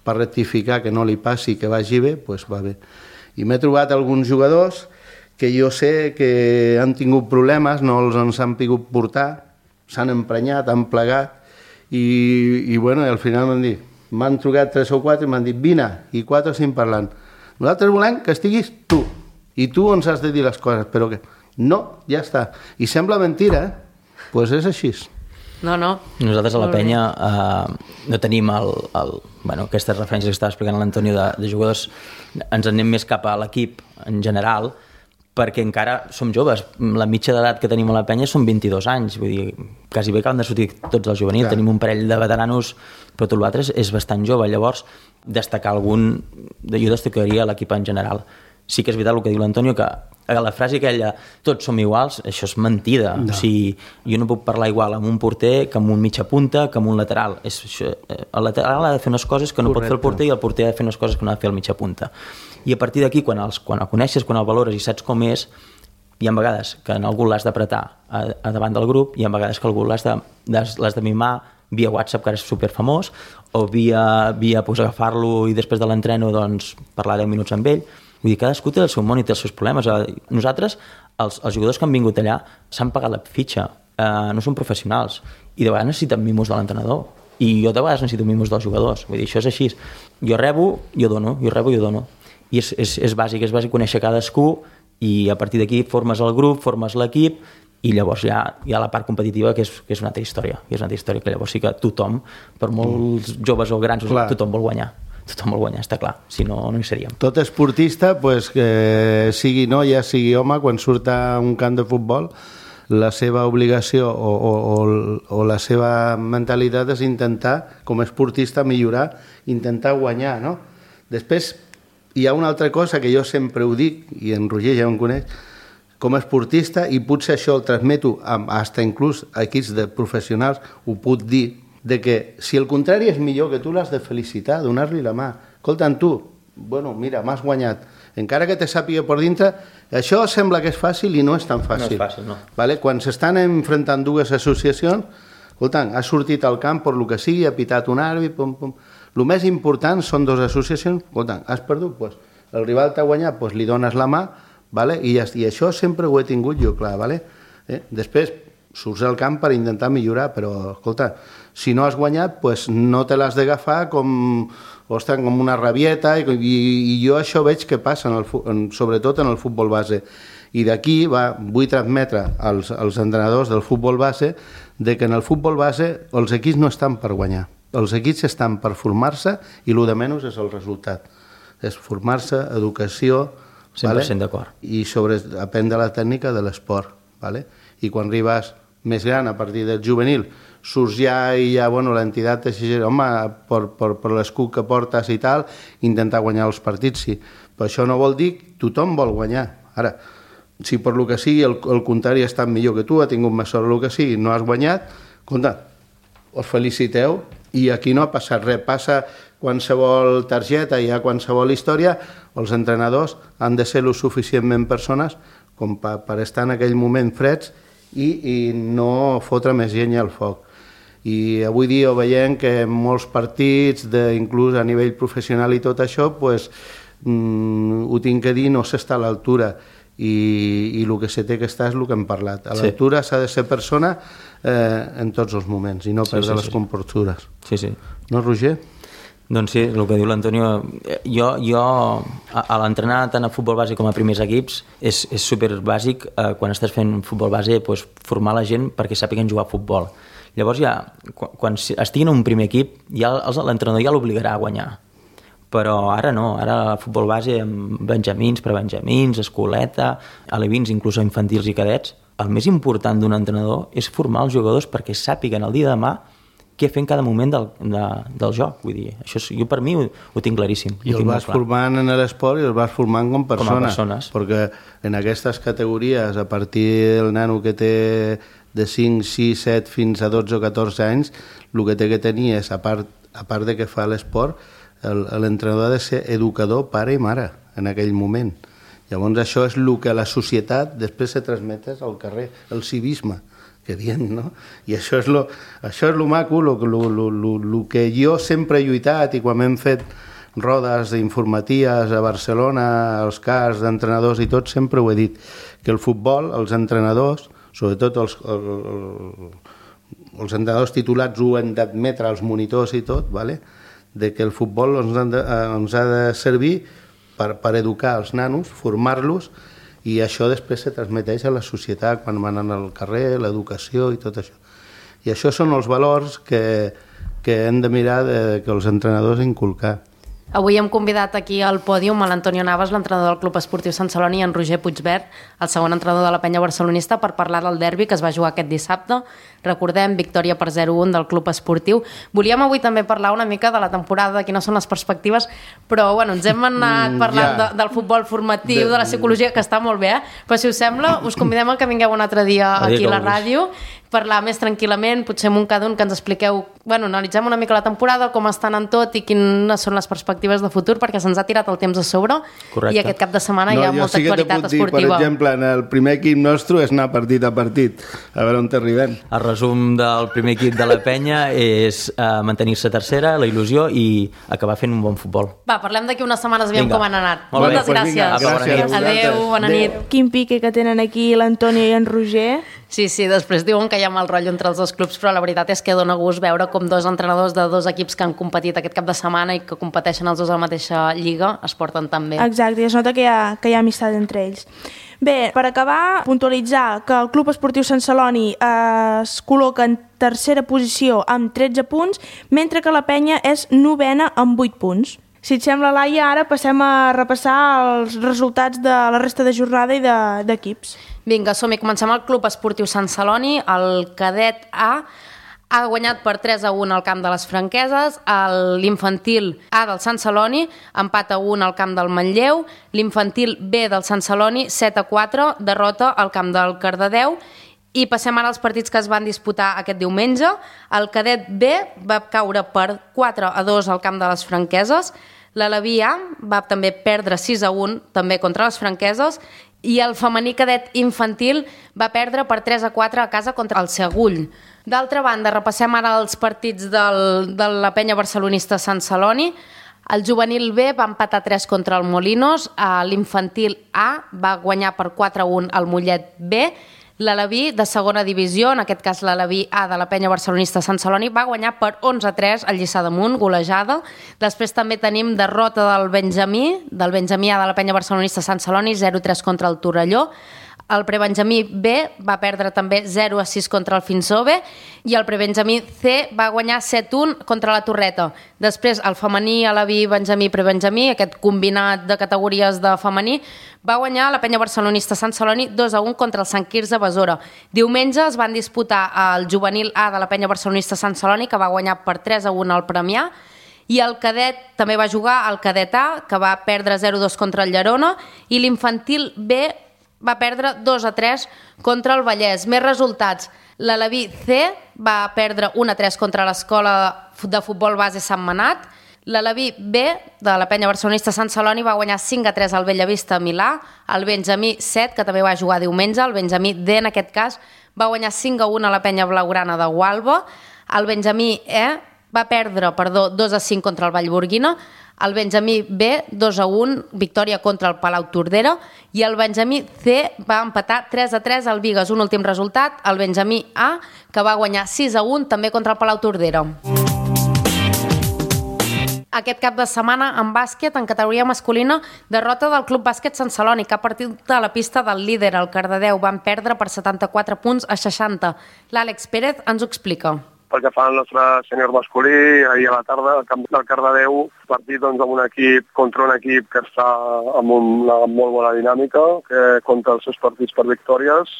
per rectificar que no li passi, que vagi bé, pues va bé. I m'he trobat alguns jugadors que jo sé que han tingut problemes, no els han pogut portar, s'han emprenyat, han plegat, i bueno, al final m'han trucat 3 o 4 i m'han dit, vine, i 4 o 5 parlant. Nosaltres volem que estiguis tu, i tu ens has de dir les coses, però que no, ja està. I sembla mentira, doncs és així. No. Nosaltres a la penya no tenim aquestes referències que estava explicant l'Antonio de jugadors, ens anem més cap a l'equip en general, perquè encara som joves. La mitja d'edat que tenim a la penya són 22 anys, vull dir, quasi bé acaben de sortir tots els juvenils, tenim un parell de veteranos, però tot l'altre és bastant jove. Llavors, destacar jo destacaria l'equip en general. Sí que és veritat el que diu l'Antonio, que la frase aquella, tots som iguals, això és mentida. No. O sigui, jo no puc parlar igual amb un porter que amb un mitja punta, que amb un lateral. El lateral ha de fer unes coses que no pot fer el porter i el porter ha de fer unes coses que no ha de fer el mitja punta. I a partir d'aquí, quan el coneixes, quan el valores i saps com és, hi ha vegades que en algú l'has d'apretar a davant del grup, hi ha vegades que algú l'has de mimar via WhatsApp, que ara és superfamós, o via agafar-lo i després de l'entreno parlar 10 minuts amb ell. Vull dir, cadascú té el seu món i té els seus problemes. Nosaltres, els jugadors que han vingut allà, s'han pagat la fitxa, no són professionals. i de vegades necessiten mimos de l'entrenador, i jo de vegades necessito mimos dels jugadors, vull dir, això és així. Jo rebo, jo dono, jo rebo, jo dono. I és bàsic conèixer cadascú, i a partir d'aquí formes el grup, formes l'equip, i llavors hi ha la part competitiva, que és una altra història, que llavors sí que tothom, per molts joves o grans, tothom vol guanyar, està clar, si no, no hi seríem. Tot esportista, pues, que sigui noia, sigui home, quan surt a un camp de futbol, la seva obligació o la seva mentalitat és intentar, com a esportista, millorar, intentar guanyar, no? Després, hi ha una altra cosa que jo sempre ho dic, i en Roger ja em coneix, com a esportista, i potser això el transmeto fins inclús a equips de professionals, ho puc dir, de que si el contrari és millor, que tu l'has de felicitar, donar-li la mà. Escolta'm, tu, bueno, mira, m'has guanyat. Encara que te sàpiga per dintre, això sembla que és fàcil i no és tan fàcil. No és fàcil, no. Vale? Quan s'estan enfrontant dues associacions, escolta'm, ha sortit al camp per lo que sigui, ha pitat un àrbit, pum, pum. El més important són dues associacions, escolta'm, has perdut, pues, el rival t'ha guanyat, pues, li dones la mà, vale? I això sempre ho he tingut jo clar. Vale? Després surts al camp per intentar millorar, però, escolta, si no has guanyat, pues, no te l'has d'agafar com una rabieta, i jo això veig que passa, sobretot en el futbol base. I d'aquí vull transmetre als entrenadors del futbol base de que en el futbol base els equips no estan per guanyar. Els equips estan per formar-se i el de menys és el resultat. És formar-se, educació... 100% d'acord. I aprendre la tècnica de l'esport. Vale? I quan arribes més gran, a partir del juvenil, surts ja i ja, bueno, l'entitat t'exigeix, home, per l'escut que portes i tal, intentar guanyar els partits, sí. Però això no vol dir que tothom vol guanyar. Ara, si per lo que sigui el contrari ha estat millor que tu, ha tingut més sort el que sigui, no has guanyat, compte, us feliciteu, i aquí no ha passat res. Passa qualsevol targeta, hi ha qualsevol història, els entrenadors han de ser lo suficientment persones com per estar en aquell moment freds i no fotre més llenya al foc. I avui dia ho veiem que en molts partits, inclús a nivell professional i tot això, pues, ho tinc que dir, no s'està a l'altura, i el que se té que estar és el que hem parlat. A l'altura s'ha de ser persona en tots els moments i no perdre les comportures. Sí. No, Roger? Doncs sí, el que diu l'Antonio, jo a l'entrenar tant a futbol base com a primers equips és superbàsic quan estàs fent futbol base, doncs, formar la gent perquè sàpiguen jugar a futbol. Llavors ja, quan estiguin en un primer equip, l'entrenador ja l'obligarà a guanyar. Però ara no, ara futbol base amb benjamins, prebenjamins, escoleta, alevins, inclús infantils i cadets, el més important d'un entrenador és formar els jugadors perquè sàpiguen el dia de demà què fer en cada moment del joc. Vull dir, això jo per mi ho tinc claríssim. I el vas formant en l'esport i el vas formant com persones. Perquè en aquestes categories, a partir del nano que té de 5, 6, 7 fins a 12 o 14 anys, el que té que tenir és, a part de que fa l'esport, l'entrenador ha de ser educador, pare i mare, en aquell moment. Llavors això és el que la societat després se transmet al carrer, el civisme, que diem, no? I això és lo maco, el que jo sempre he lluitat, i quan hem fet rodes informatives a Barcelona, als CARs d'entrenadors i tot, sempre ho he dit, que el futbol, els entrenadors, sobretot els entrenadors titulats ho han d'admetre, els monitors i tot, vale? De que el futbol ens ha de servir per educar els nanos, formar-los, i això després se transmeteix a la societat quan van al carrer, l'educació i tot això. I això són els valors que hem de mirar que els entrenadors inculcar. Avui hem convidat aquí al pòdium a l'Antonio Navas, l'entrenador del Club Esportiu Sant Celoni, i en Roger Puigvert, el segon entrenador de la penya barcelonista, per parlar del derbi que es va jugar aquest dissabte. Recordem, victòria per 0-1 del Club Esportiu. Volíem avui també parlar una mica de la temporada, de quines són les perspectives, però bueno, ens hem anat parlant del futbol formatiu, de la psicologia, que està molt bé, però si us sembla, us convidem a que vingueu un altre dia aquí a la ràdio, parlar més tranquil·lament, potser amb un cada un que ens expliqueu, bueno, analitzem una mica la temporada, com estan en tot i quines són les perspectives de futur, perquè se'ns ha tirat el temps a sobre. Correcte. I aquest cap de setmana hi ha molta actualitat esportiva. Per exemple, en el primer equip nostre és anar partit a partit, a veure on t'arribem. El resum del primer equip de la penya és mantenir-se tercera, la il·lusió i acabar fent un bon futbol. Va, parlem d'aquí unes setmanes, aviam com han anat. Moltes gràcies. Gràcies. Adéu, bona nit. Quin pique que tenen aquí l'Antonio i en Roger. Sí, després diuen que hi ha mal rotllo entre els dos clubs, però la veritat és que dona gust veure com dos entrenadors de dos equips que han competit aquest cap de setmana i que competeixen els dos a la mateixa lliga es porten tan bé. Exacte, i es nota que hi ha amistat entre ells. Bé, per acabar, puntualitzar que el Club Esportiu Sant Celoni es col·loca en tercera posició amb 13 punts, mentre que la penya és novena amb 8 punts. Si et sembla, Laia, ara passem a repassar els resultats de la resta de jornada i d'equips. Vinga, som-hi. Comencem el Club Esportiu Sant Celoni. El cadet A ha guanyat per 3-1 al camp de les Franqueses, l'infantil A del Sant Celoni empat a 1 al camp del Manlleu, l'infantil B del Sant Celoni 7-4, derrota al camp del Cardedeu. I passem ara als partits que es van disputar aquest diumenge. El cadet B va caure per 4-2 al camp de les Franqueses, l'Aleví A va també perdre 6-1 també contra les Franqueses i el femení cadet infantil va perdre per 3-4 a casa contra el Segull. D'altra banda, repassem ara els partits de la penya barcelonista Sant Celoni. El juvenil B va empatar 3 contra el Molinos, l'infantil A va guanyar per 4-1 al Mollet B, l'Aleví de segona divisió, en aquest cas l'Aleví A de la penya barcelonista Sant Celoni, va guanyar per 11-3 al Lliçà d'Amunt, golejada. Després també tenim derrota del Benjamí A de la penya barcelonista Sant Celoni, 0-3 contra el Torelló. El prebenjamí B va perdre també 0-6 contra el Finsove i el prebenjamí C va guanyar 7-1 contra la Torreta. Després el femení, Aleví, benjamí, prebenjamí, aquest combinat de categories de femení, va guanyar la penya barcelonista Sant Celoni 2-1 contra el Sant Quirze Besora. Diumenge es van disputar el juvenil A de la penya barcelonista Sant Celoni, que va guanyar per 3-1 al Premià, i el cadet també va jugar el cadet A, que va perdre 0-2 contra el Llerona, i l'infantil B va perdre 2-3 contra el Vallès. Més resultats. L'Aleví C va perdre 1-3 contra l'Escola de Futbol Base Sant Manat. L'Aleví B de la penya barcelonista Sant Celoni va guanyar 5-3 al Bellavista Milà. El Benjamí 7, que també va jugar diumenge. El Benjamí D, en aquest cas, va guanyar 5-1 a la penya blaugrana de Gualba. El Benjamí E va perdre 2-5 contra el Vallborguina. El Benjamí B, 2-1, victòria contra el Palau Tordera, i el Benjamí C va empatar 3-3 al Bigues. Un últim resultat, el Benjamí A, que va guanyar 6-1 també contra el Palau Tordera. Aquest cap de setmana en bàsquet, en categoria masculina, derrota del Club Bàsquet Sant Celoni, que ha partit a la pista del líder, el Cardedeu. Van perdre per 74 punts a 60. L'Àlex Pérez ens ho explica. Pel que fa al nostre sènior masculí, ahir a la tarda, al camp del Cardedeu, partit doncs, amb un equip contra un equip que està amb una molt bona dinàmica, que compta els seus partits per victòries.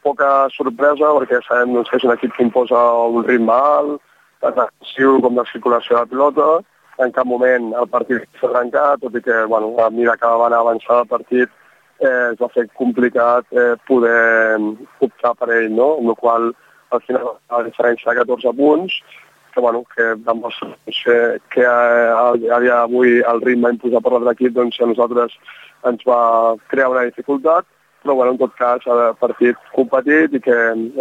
Poca sorpresa, perquè sabem doncs, que és un equip que imposa un ritme alt, tant defensiu com de circulació de pilota. En cap moment el partit s'ha trencat, tot i que a mesura que va anar avançant el partit es va fer complicat poder optar per ell, no? Amb la qual al final la diferència de 14 punts, que demostra que a dia d'avui el ritme imposat per l'altre equip a nosaltres ens va crear una dificultat, però en tot cas el partit competit i que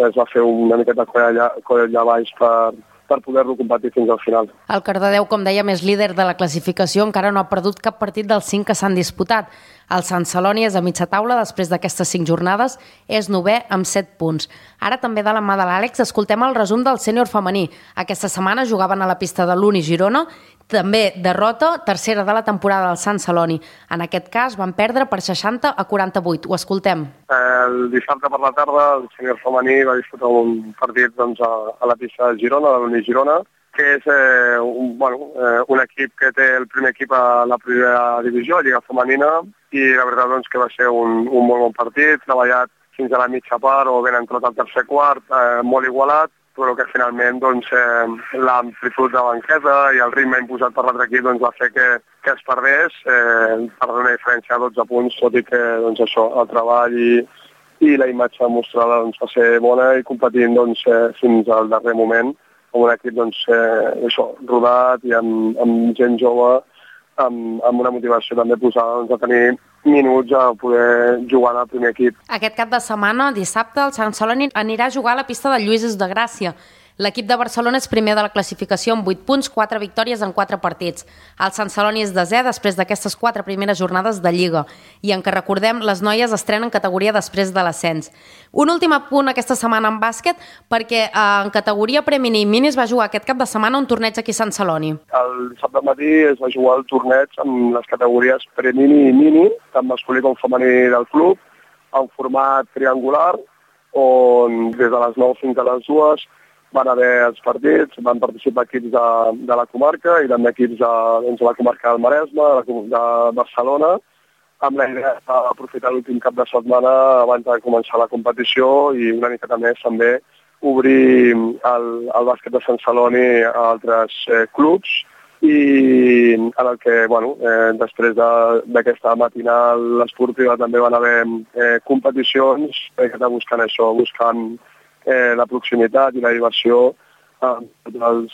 es va fer una miqueta coll allà baix per poder-lo competir fins al final. El Cardedeu, com dèiem, és líder de la classificació, encara no ha perdut cap partit dels 5 que s'han disputat. El Sant Celoni és a mitja taula després d'aquestes 5 jornades, és 9è amb 7 punts. Ara també de la mà de l'Àlex escoltem el resum del sènior femení. Aquesta setmana jugaven a la pista de l'Uni Girona, també derrota, tercera de la temporada del Sant Celoni. En aquest cas van perdre per 60-48. Ho escoltem. El dissabte per la tarda el sènior femení va disputar un partit a la pista de Girona, de l'Uni Girona, que és un equip que té el primer equip a la primera divisió, Lliga Femenina, i la veritat que va ser un molt bon partit, treballat fins a la mitja part o ben entrat al tercer quart, molt igualat, però que finalment l'amplitud de banqueta i el ritme imposat per l'altre equip va fer que es perdés per una diferència de 12 punts, tot i que el treball i la imatge mostrada va ser bona i competint fins al darrer moment amb un equip rodat i amb gent jove amb una motivació també posada a tenir minuts a poder jugar en el primer equip. Aquest cap de setmana, dissabte, el Sant Celoni anirà a jugar a la pista de Lluïsos de Gràcia. L'equip de Barcelona és primer de la classificació amb 8 punts, 4 victòries en 4 partits. El Sant Celoni és desè després d'aquestes 4 primeres jornades de Lliga. I en què recordem, les noies estrenen categoria després de l'ascens. Un últim apunt aquesta setmana en bàsquet, perquè en categoria premini i mini es va jugar aquest cap de setmana un torneig aquí a Sant Celoni. El dissabte matí es va jugar el torneig amb les categories premini i mini, tant masculí com femení del club, en format triangular, on des de les 9 fins a les 2 van haver els partits, van participar equips de la comarca i també equips de la comarca del Maresme, de Barcelona, amb la idea d'aprofitar l'últim cap de setmana abans de començar la competició i una miqueta més també obrir el bàsquet de Sant Celoni a altres clubs i en el que, després d'aquesta matinal esportiva també van haver competicions buscant això, buscant la proximitat i la diversió dels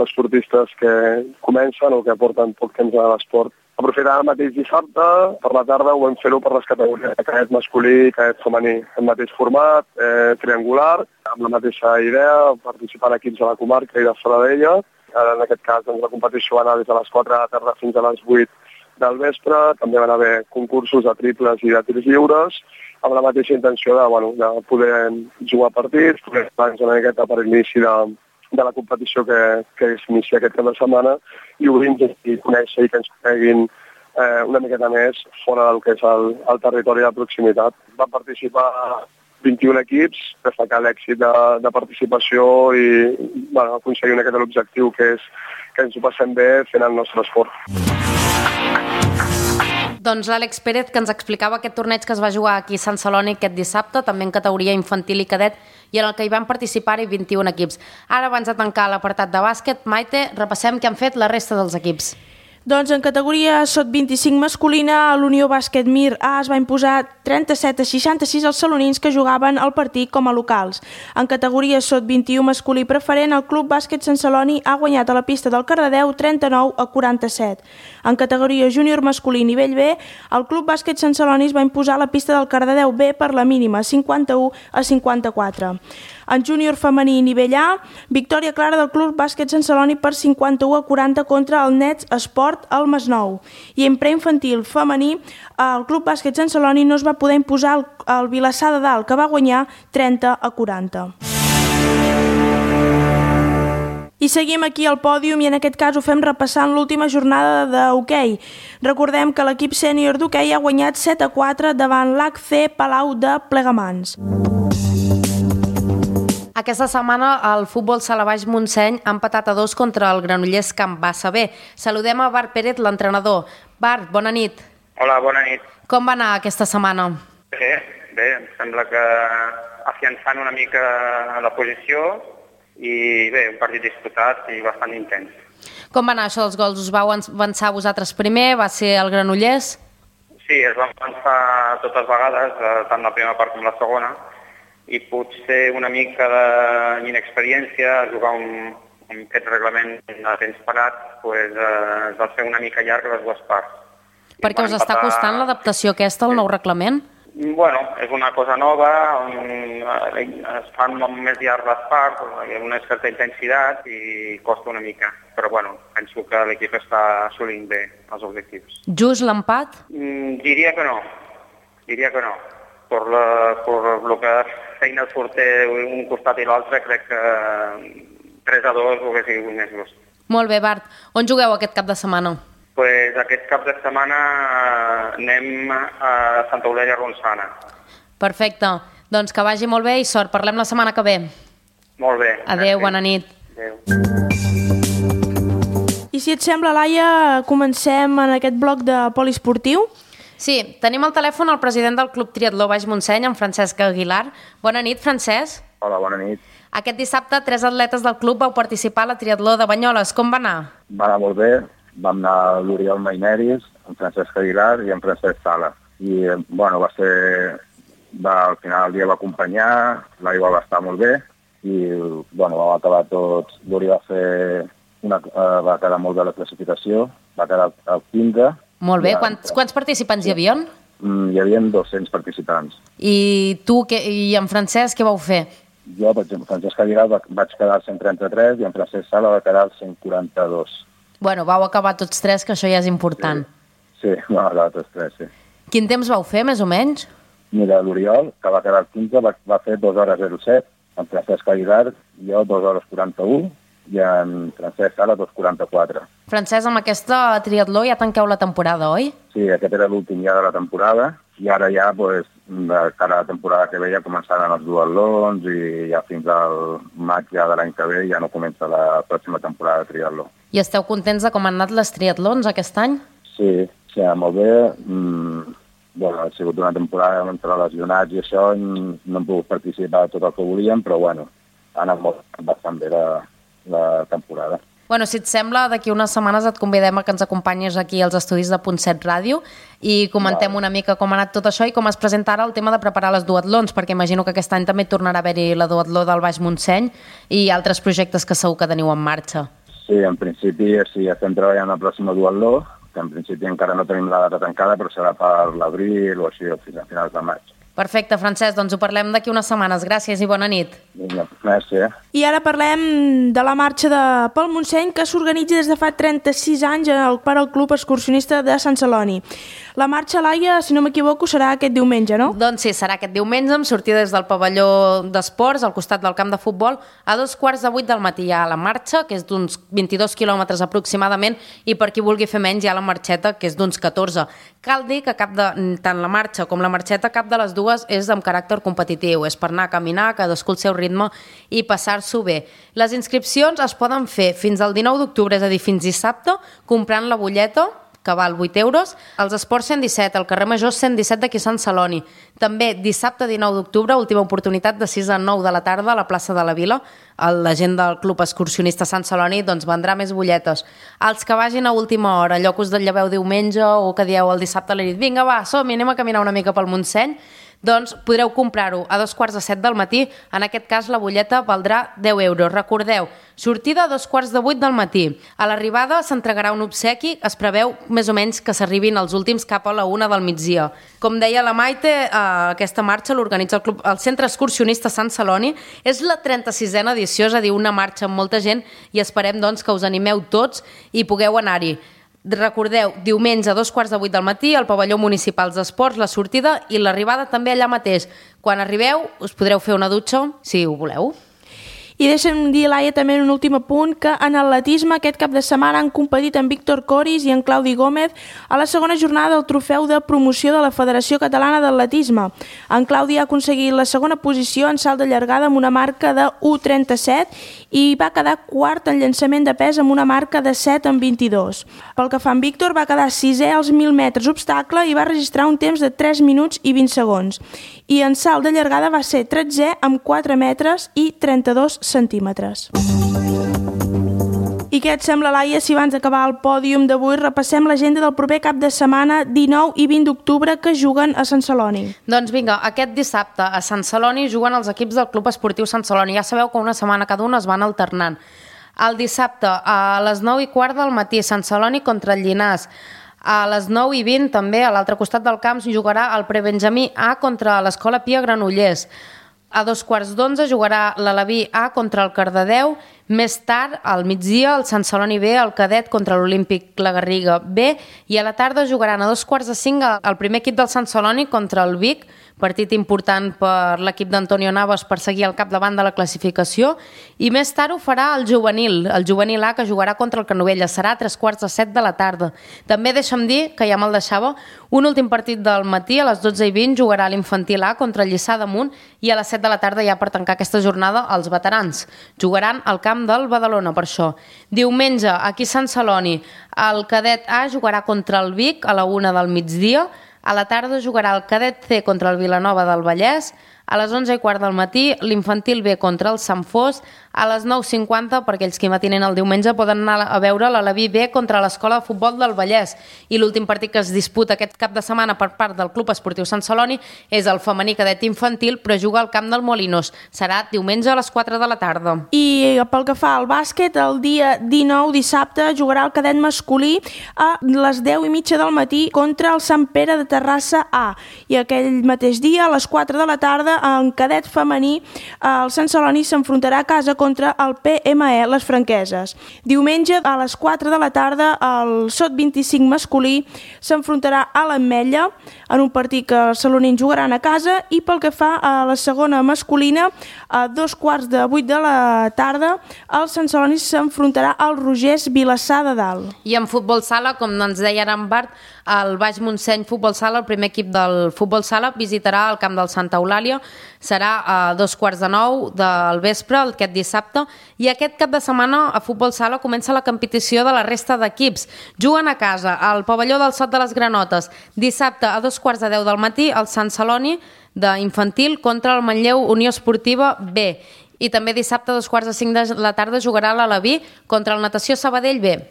esportistes que comencen o que aporten poc temps a l'esport. Aprofitant el mateix dissabte, per la tarda ho vam fer-ho per les categories de cadet masculí i cadet femení, el mateix format, triangular, amb la mateixa idea, participant equips de la comarca i de fora d'ella. En aquest cas, la competició va anar des de les 4 de la tarda fins a les 8 del vespre. També van haver concursos de triples i de tirs lliures, amb la mateixa intenció de poder jugar partits, poder estar una miqueta per l'inici de la competició que s'inicia aquest cap de setmana i obrir-nos i conèixer i que ens coneguin una miqueta més fora del que és el territori de proximitat. Van participar 21 equips, destacar l'èxit de participació i aconseguir una miqueta l'objectiu que és que ens ho passem bé fent el nostre esport. Doncs l'Àlex Pérez, que ens explicava aquest torneig que es va jugar aquí a Sant Celoni aquest dissabte, també en categoria infantil i cadet, i en el que hi van participar-hi 21 equips. Ara, abans de tancar l'apartat de bàsquet, Maite, repassem què han fet la resta dels equips. Doncs en categoria sot-25 masculina, l'Unió Bàsquet Mir A es va imposar 37-66 als salonins que jugaven el partit com a locals. En categoria sot-21 masculí preferent, el Club Bàsquet Sant Celoni ha guanyat a la pista del Cardedeu 39-47. En categoria júnior masculí nivell B, el Club Bàsquet Sant Celoni es va imposar a la pista del Cardedeu B per la mínima 51-54. En júnior femení nivell A, victòria clara del Club Bàsquet Sant Celoni per 51-40 contra el Nets Esport al Masnou. I en preinfantil femení, el Club Bàsquet Sant Celoni no es va poder imposar al Vilassar de Dalt, que va guanyar 30-40. I seguim aquí al pòdium i en aquest cas ho fem repassant l'última jornada d'hoquei. Recordem que l'equip sènior d'hoquei ha guanyat 7-4 davant l'HC Palau de Plegamans. Aquesta setmana el futbol sala Baix Montseny ha empatat a 2 contra el Granollers Camp Bassa B. Saludem a Bart Pérez, l'entrenador. Bart, bona nit. Hola, bona nit. Com va anar aquesta setmana? Bé, em sembla que afiançant una mica la posició i bé, un partit disputat i bastant intens. Com va anar això dels gols? Us vau avançar vosaltres primer? Va ser el Granollers? Sí, es van avançar totes vegades, tant la primera part com la segona, i potser una mica d'inexperiència, jugar aquest reglament a temps parat, es va fer una mica llarg les dues parts. Per què us està costant l'adaptació aquesta al nou reglament? Bueno, és una cosa nova, es fan més llarg les parts, hi ha una certa intensitat i costa una mica. Però bueno, penso que l'equip està assolint bé els objectius. Just l'empat? Diria que no. Per lo que feina surt un costat i l'altre, crec que 3-2 ho hauria sigut més just. Molt bé, Bart. On jugueu aquest cap de setmana? Pues aquest cap de setmana anem a Santa Eulàlia Ronçana. Perfecte. Doncs que vagi molt bé i sort. Parlem la setmana que ve. Molt bé. Adéu, bona nit. Adéu. I si et sembla, Laia, comencem en aquest bloc de poliesportiu? Sí, tenim al telèfon el president del Club Triatló Baix Montseny, en Francesc Aguilar. Bona nit, Francesc. Hola, bona nit. Aquest dissabte, 3 atletes del club vau participar a la Triatló de Banyoles. Com va anar? Va anar molt bé. Vam anar l'Oriol Maineris, en Francesc Aguilar i en Francesc Sala. I, bueno, al final el dia va acompanyar, l'aigua va estar molt bé i, bueno, vam acabar tots. L'Oriol va quedar molt bé la classificació, va quedar el 15. Molt bé. Quants participants hi havia? Hi havia 200 participants. I tu i en Francesc què vau fer? Jo, per exemple, Francesc Aguilar vaig quedar al 133 i en Francesc Sala va quedar al 142. Bueno, vau acabar tots tres, que això ja és important. Sí, va acabar tots tres, sí. Quin temps vau fer, més o menys? Mira, l'Oriol, que va quedar al 15, va fer 2 hores 07, en Francesc Aguilar, jo 2 hores 41, i en Francesc Sala 2:44. Francesc, amb aquesta triatló ja tanqueu la temporada, oi? Sí, aquest era l'últim ja de la temporada, i ara ja, de cara a la temporada que ve, ja començaran els duatlons i ja fins al maig ja de l'any que ve ja no comença la pròxima temporada de triatló. I esteu contents de com han anat les triatlons aquest any? Sí, molt bé. Bueno, ha sigut una temporada entre lesionats i això, no hem pogut participar de tot el que volíem, però bueno, ha anat bastant bé la temporada. Bueno, si et sembla, d'aquí unes setmanes et convidem a que ens acompanyis aquí als estudis de Punt 7 Ràdio i comentem una mica com ha anat tot això i com es presenta ara el tema de preparar les duatlons, perquè imagino que aquest any també tornarà a haver-hi la duatló del Baix Montseny i altres projectes que segur que teniu en marxa. Sí, en principi sí, estem treballant el pròxim duatló, que en principi encara no tenim la data tancada, però serà per l'abril o així, fins a finals de maig. Perfecte, Francesc, doncs ho parlem d'aquí unes setmanes. Gràcies i bona nit. Vinga, merci. I ara parlem de la marxa pel Montseny, que s'organitza des de fa 36 anys per al Club Excursionista de Sant Celoni. La marxa, Laia, si no m'equivoco, serà aquest diumenge, no? Doncs sí, serà aquest diumenge, amb sortida des del pavelló d'esports, al costat del camp de futbol, a 2:15 del matí hi ha la marxa, que és d'uns 22 quilòmetres aproximadament, i per qui vulgui fer menys hi ha la marxeta, que és d'uns 14. Cal dir que tant la marxa com la marxeta, cap de les dues és amb caràcter competitiu, és per anar a caminar, cadascú al seu ritme i passar-s'ho bé. Les inscripcions es poden fer fins al 19 d'octubre, és a dir, fins dissabte, comprant la butlleta, que val 8 euros, als Esports 117, al carrer Major 117 d'aquí Sant Celoni. També dissabte 19 d'octubre, última oportunitat de 6 a 9 de la tarda a la plaça de la Vila. La gent del Club Excursionista Sant Celoni doncs vendrà més butlletes. Els que vagin a última hora, allò que us lleveu diumenge o que dieu el dissabte a la nit, vinga va, som-hi, anem a caminar una mica pel Montseny, doncs podreu comprar-ho a 2:15 del matí. En aquest cas la butlleta valdrà 10 euros. Recordeu, sortida a 7:15 del matí. A l'arribada s'entregarà un obsequi, es preveu més o menys que s'arribin els últims cap a la 1 del migdia. Com deia la Maite, aquesta marxa l'organitza el Centre Excursionista Sant Celoni. És la 36a edició, és a dir, una marxa amb molta gent, i esperem doncs que us animeu tots i pugueu anar-hi. Recordeu, diumenge a 2:15 del matí al pavelló municipal d'esports, la sortida i l'arribada també allà mateix. Quan arribeu us podreu fer una dutxa, si ho voleu. I deixa'm dir, Laia, també en un últim apunt, que en atletisme aquest cap de setmana han competit en Víctor Coris i en Claudi Gómez a la segona jornada del trofeu de promoció de la Federació Catalana d'Atletisme. En Claudi ha aconseguit la segona posició en salt de llargada amb una marca de 1:37 i va quedar quart en llançament de pes amb una marca de 7:22. Pel que fa en Víctor, va quedar 6è als 1.000 metres obstacle i va registrar un temps de 3 minuts i 20 segons. I en salt de llargada va ser 13è amb 4 metres i 32 centímetres. I què et sembla, Laia, si abans d'acabar el pòdium d'avui repassem l'agenda del proper cap de setmana 19 i 20 d'octubre que juguen a Sant Celoni? Doncs vinga, aquest dissabte a Sant Celoni juguen els equips del Club Esportiu Sant Celoni. Ja sabeu que una setmana cada un es van alternant. El dissabte a les 9:15 del matí Sant Celoni contra el Llinars. A les 9:20 també a l'altre costat del camp jugarà el Prebenjamí A contra l'Escola Pia Granollers. A 2:15 jugarà l'Alaví A contra el Cardedeu. Més tard, al migdia, el Sant Celoni B, el Cadet contra l'Olímpic La Garriga B, i a la tarda jugaran a 4:45 el primer equip del Sant Celoni contra el Vic, partit important per l'equip d'Antonio Navas per seguir al capdavant de la classificació, i més tard ho farà el juvenil A, que jugarà contra el Canovelles, serà a 3:15 de la tarda. També deixa'm dir, que ja me'l deixava, un últim partit del matí, a les 12:20 jugarà l'infantil A contra el Lliçà d'Amunt, i a les 7 de la tarda ja per tancar aquesta jornada els veterans. Jugaran al camp del Badalona, per això. Diumenge, aquí a Sant Celoni, el Cadet A jugarà contra el Vic a la 1 del migdia, a la tarda jugarà el Cadet C contra el Vilanova del Vallès, A les 11:15 del matí, l'Infantil B contra el Sant Fos. A les 9:50, per aquells que matinen el diumenge, poden anar a veure l'Aleví B contra l'Escola de Futbol del Vallès. I l'últim partit que es disputa aquest cap de setmana per part del Club Esportiu Sant Celoni és el femení cadet infantil, però juga al camp del Molinos. Serà diumenge a les 4 de la tarda. I pel que fa al bàsquet, el dia 19, dissabte, jugarà el cadet masculí a les 10:30 del matí contra el Sant Pere de Terrassa A. I aquell mateix dia, a les 4 de la tarda, en cadet femení, el Sant Celoni s'enfrontarà a casa contra el PME Les Franqueses. Diumenge, a les 4 de la tarda, el Sot 25 masculí s'enfrontarà a l'Ametlla en un partit que els salonins jugaran a casa. I pel que fa a la segona masculina, a 2:15 de la tarda, el Sant Celoni s'enfrontarà al Rogers Vilassar de Dalt. I en futbol sala, com ens deia ara en Bart, el Baix Montseny Futbol Sala, el primer equip del futbol sala, visitarà el camp del Santa Eulàlia. Serà a 8:45 del vespre, aquest dissabte. I aquest cap de setmana a futbol sala comença la competició de la resta d'equips. Juguen a casa al pavelló del Sot de les Granotes. Dissabte a 2:10 del matí, el Sant Celoni d'infantil contra el Manlleu Unió Esportiva B. I també dissabte a 2:45 de la tarda jugarà l'Aleví contra el Natació Sabadell B.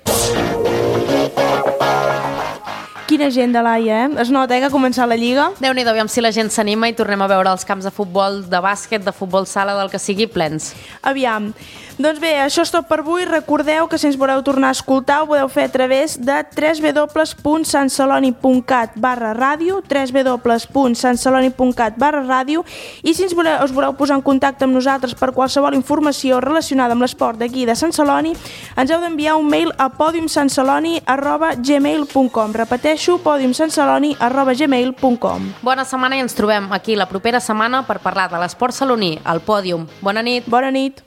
Quina gent de Laia, Es nota que ha començat la Lliga. Déu-n'hi-do, aviam si la gent s'anima i tornem a veure els camps de futbol, de bàsquet, de futbol sala, del que sigui, plens. Aviam. Doncs bé, això és tot per avui. Recordeu que si ens voleu tornar a escoltar ho podeu fer a través de www.santceloni.cat/ràdio, www.santceloni.cat/ràdio, i si us voleu posar en contacte amb nosaltres per qualsevol informació relacionada amb l'esport d'aquí de Sant Celoni, ens heu d'enviar un mail a podiumsantceloni@gmail.com. Repeteixo, podiumsantceloni@gmail.com. Bona setmana i ens trobem aquí la propera setmana per parlar de l'esport saloní, al Pòdium. Bona nit. Bona nit.